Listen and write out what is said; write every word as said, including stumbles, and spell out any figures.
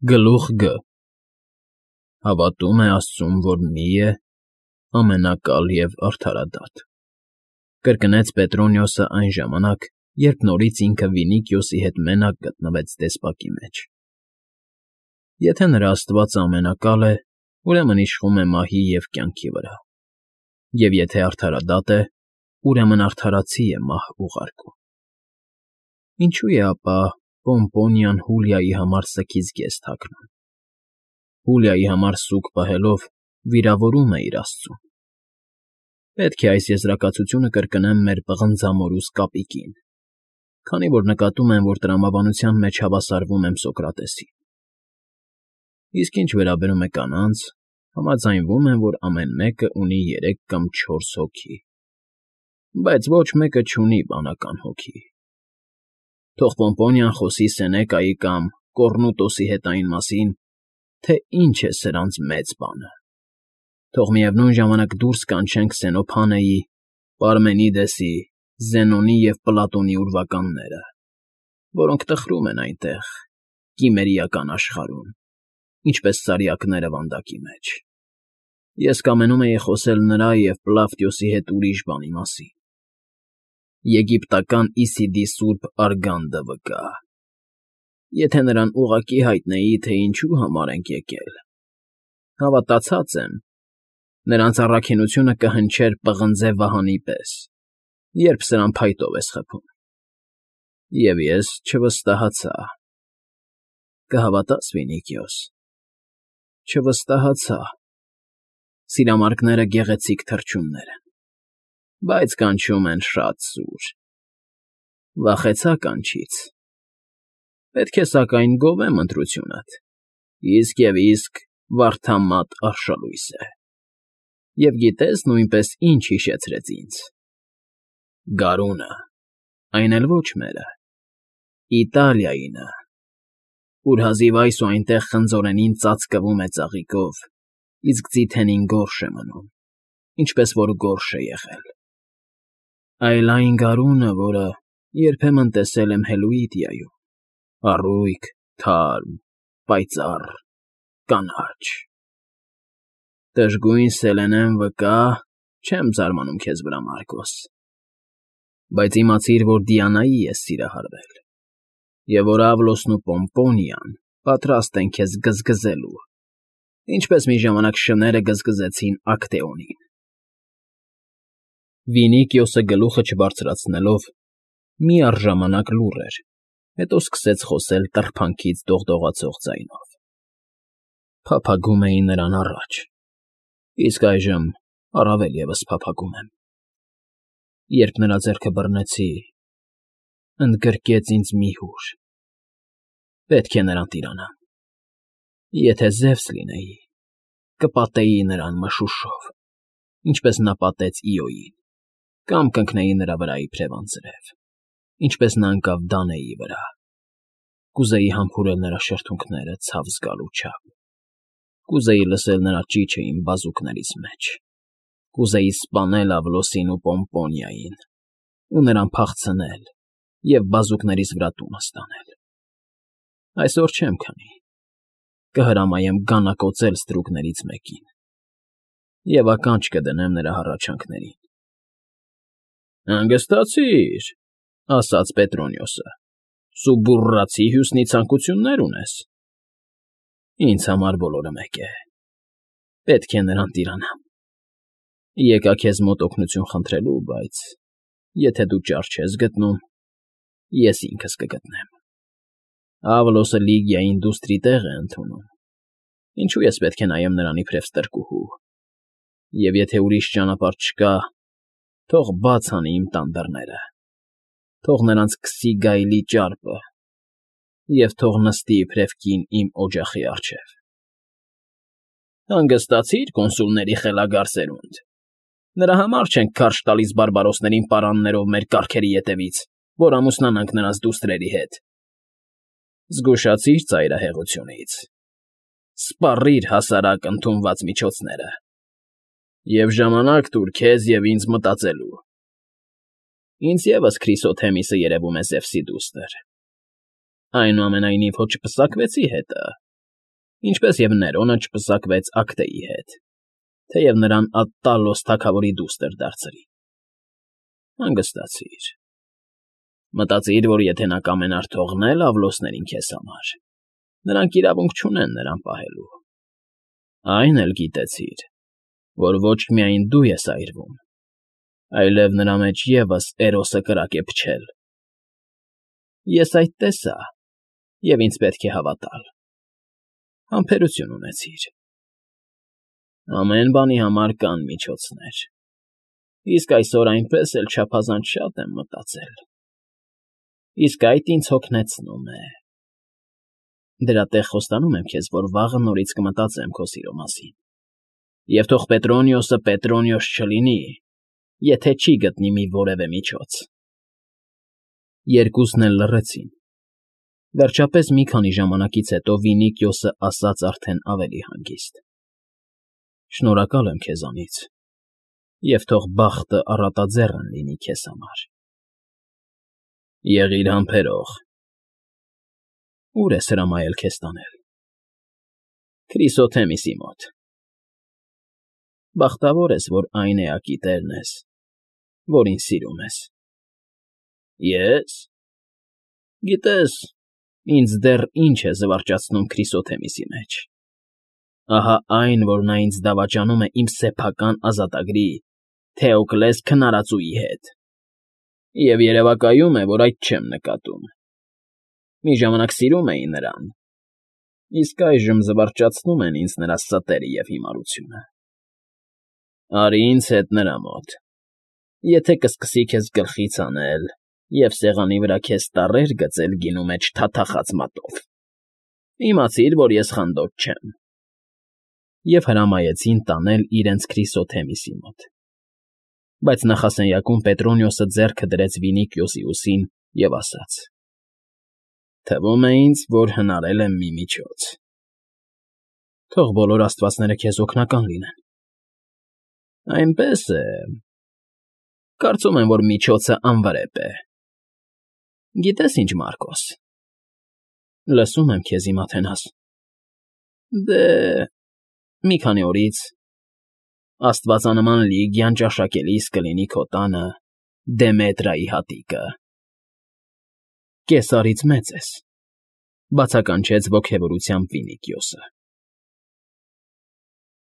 Գլուխ Գ Հավատում է Աստծուն, որ մի է, ամենակալ և արդարադատ, կրկնեց Պետրոնիոսը այն ժամանակ, երբ նորից ինքը Վինիքիոսի հետ մենակ գտնվեց դեսպակի մեջ։ Եթե նրա աստվածը ամենակալ է, ուրեմն իշխում է մահի և կյանքի վրա, և եթե արդարադատ է, ուրեմն արդարացի է մահ ուղարկում։ Ինչո՞ւ է ապա Պոմպոնիան Հուլիայի համար սգից գեզ թաքնում։ Հուլիայի համար սուգ պահելով վիրավորում է իր աստծուն։ Պետք է այս եզրակացությունը կրկնեմ մեր պղնձամորուս կապիկին, քանի որ նկատում եմ, որ տրամաբանության մեջ հավասարվում եմ Սոկրատեսին։ Իսկ ինչ վերաբերում է կանանց, համաձայնվում եմ, որ ամեն մեկը ունի երեք կամ չորս հոգի, բայց ոչ մեկը չունի բանական հոգի։ Թող Պոմպոնիան խոսի Սենեկայի կամ Կոռնուտոսի հետ այն մասին, թե ինչ է սրանց մեծ բանը։ Թող միևնույն ժամանակ դուրս կանչեն Քսենոփանեի, Պարմենիդեսի, Զենոնի և Պլատոնի ուրվականները, որոնք տխրում են այնտեղ, կիմերիական աշխարհում, ինչպես սարյակները վանդակի մեջ։ Ես կամենում էի խոսել նրա և Պլավտիոսի հետ ուրիշ բանի մասին։ Եգիպտական Իսիդի սուրբ Արգանդը վկա։ Եթե նրան ուղղակի հայտնեի, թե ինչու համար ենք եկել, հավատացած եմ, նրանց առաքինությունը կհնչեր պղնձե վահանի պես, երբ սրան փայտով ես խփում։ Եվ ես չվստահացա։ Կհավատաս, Վինիքիոս, չվստահացա։ Սիրամարգները գեղեցիկ թռչուններ են, բայց կանչում են շատ սուր։ Վախեցա կանչից։ Պետք է սակայն գովեմ ընտրությունդ, իսկ և իսկ վարդամատ արշալույս է։ Եվ գիտես նույնպես ինչ հիշեցրեց ինձ. գարունը, այն էլ ոչ մերը, Իտալիայինը, ուր հազիվ այս ու այնտեղ խնձորենին ծածկվում է ծաղիկով, իսկ ձիթենին գորշ է մնում, ինչպես որ գորշ է եղել։ Այլ այն գարունը, որը երբեմն տեսել եմ Հելուիդիայում, առույգ, թարմ, պայծառ, կանաչ։ Դժգույն Սելենեն վկա, չեմ զարմանում քեզ վրա, Մարկոս, բայց իմացիր, որ Դիանայի ես սիրահարվել, և որ Ավլոսն ու Պոմպոնիան պատրաստ են քեզ գզգզելու, ինչպես մի ժամանակ շները գզգզեցին Ակտեոնին։ Վինիքիոսը գլուխը չբարձրացնելով միառժամանակ լուռ էր, հետո սկսեց խոսել տրփանքից դողդողացող ձայնով։ Փափագում էի նրան առաջ, իսկ այժմ առավել ևս փափագում եմ։ Երբ նրա ձեռքը բռնեցի, ընդգրկեց ինձ մի հուր. պետք է նրան տիրանամ։ Եթե Զևս լինեի, կպատեի նրան մշուշով, ինչպես նա պատեց Իոյին, կամ կընկնեի նրա վրա իբրև անձրև, ինչպես նա ընկավ Դանեի վրա։ Կուզեի համբուրել նրա շրթունքները ցավ զգալու չափ։ Կուզեի լսել նրա ճիչը իմ բազուկներիս մեջ։ Կուզեի սպանել Ավլոսին ու Պոմպոնիային ու նրան փախցնել և բազուկներիս վրա տունը ստանել։ Այսօր չեմ քանի, կհրամայեմ գանակոծել ստրուկներից մեկին և ականջ կդնեմ նրա հառաչանքներին։ Հանգստացիր, ասաց Պետրոնիոսը, սուբուռացի հյուսնի ցանկություններ ունես։ Ինձ համար բոլորը մեկ է։ Պետք է նրան տիրանամ։ Եկա քեզ մոտ օգնություն խնդրելու, բայց եթե դու ճար չես գտնում, ես ինքս կգտնեմ։ Ավլոսը Լիգիային դուստրի տեղ է ընդունում, ինչու ես պետք է նայեմ նրան իբրև ստրկուհու, և եթե ուրիշ ճանապարհ չկա, թող բաց անի իմ տան դռները, թող նրանց քսի գայլի ճարպը և թող նստի իբրև կին իմ օջախի առջև։ Հանգստացիր, կոնսուլների խելագար սերունդ, նրա համար չենք քարշ տալիս բարբարոսներին պարաններով մեր կառքերի ետևից, որ ամուսնանանք նրանց դուստրերի հետ։ Զգուշացիր ծայրահեղությունից, սպառիր հասարակ ընդունված միջոցները և ժամանակ տուր քեզ և ինձ մտածելու։ Ինձ ևս Քրիսոթեմիսը երևում է Զևսի դուստր։ Այնուամենայնիվ հո չպսակվեցի հետը, Ինչպես և Ներոնը չպսակվեց Ակտեի հետ, թեև նրան Ատտալոս թագավորի դուստր դարձրին։ Հանգստացիր։ Մտածիր, որ եթե նա կամենար թողնել Ավլոսներին քեզ համար, նրանք իրավունք չունեն նրան պահելու։ Այն էլ գիտեցիր, որ ոչ միայն դու ես այրվում, այլև նրա մեջ ևս Էրոսը կրակ է փչել։ Ես այդ տեսա, և ինձ պետք է հավատալ։ Համբերություն ունեցիր։ Ամեն բանի համար կան միջոցներ, իսկ այսօր այնպես էլ չափազանց շատ եմ մտածել, իսկ այդ ինձ հոգնեցնում է։ Դրա տեղ խոստանում եմ քեզ, որ վաղը նորից կմտածեմ քո սիրո մասին, և թող Պետրոնիոսը Պետրոնիոս չլինի, եթե չի գտնի մի որևէ միջոց։ Երկուսն էլ լռեցին։ Վերջապես մի քանի ժամանակից հետո Վինիքիոսը ասաց արդեն ավելի հանգիստ. Շնորհակալ եմ քեզանից, և թող բախտը առատաձեռն լինի քեզ համար։ Եղիր համբերող։ Ո՞ւր ես հրամայել քեզ տանել։ Քրիսոթեմիսի մոտ։ Բախտավոր ես, որ այն էակի տերն ես, որին սիրում ես։ Ե՞ս։ Գիտես, ինձ դեռ ինչ է զվարճացնում Քրիսոթեմիսի մեջ։ Ահա այն, որ նա ինձ դավաճանում է իմ սեփական ազատագրի՝ Թեոկլես քնարածուի հետ, և երևակայում է, որ այդ չեմ նկատում։ Մի ժամանակ սիրում էի նրան, իսկ այժմ զվարճացնում են ինձ նրա ստերը և հիմարությունը։ Արի ինձ հետ նրա մոտ, եթե կսկսի քեզ գլխից հանել և սեղանի վրա քեզ տառեր գծել գինու մեջ թաթախած մատով, իմացիր, որ ես խանդոտ չեմ։ Եվ հրամայեցին տանել իրենց Քրիսոթեմիսի մոտ։ Բայց նախասենյակում Պետրոնիոսը ձեռքը դրեց Վինիքիոսի ուսին և ասաց. Թվում է ինձ, որ հնարել եմ մի միջոց։ Թող բոլոր աստվածները քեզ օգնական լինեն։ Այնպես է։ Կարծում եմ, որ միջոցը անվրեպ է։ Գիտես ինչ, Մարկոս։ Լսում եմ քեզ, իմ Աթենաս։ Դե, մի քանի օրից աստվածանման Լիգիան ճաշակելիս կլինի քո տանը Դեմետրայի հատիկը։ Կեսարից մեծ ես, բացականչեց ոգևորությամբ Վինիքիոսը։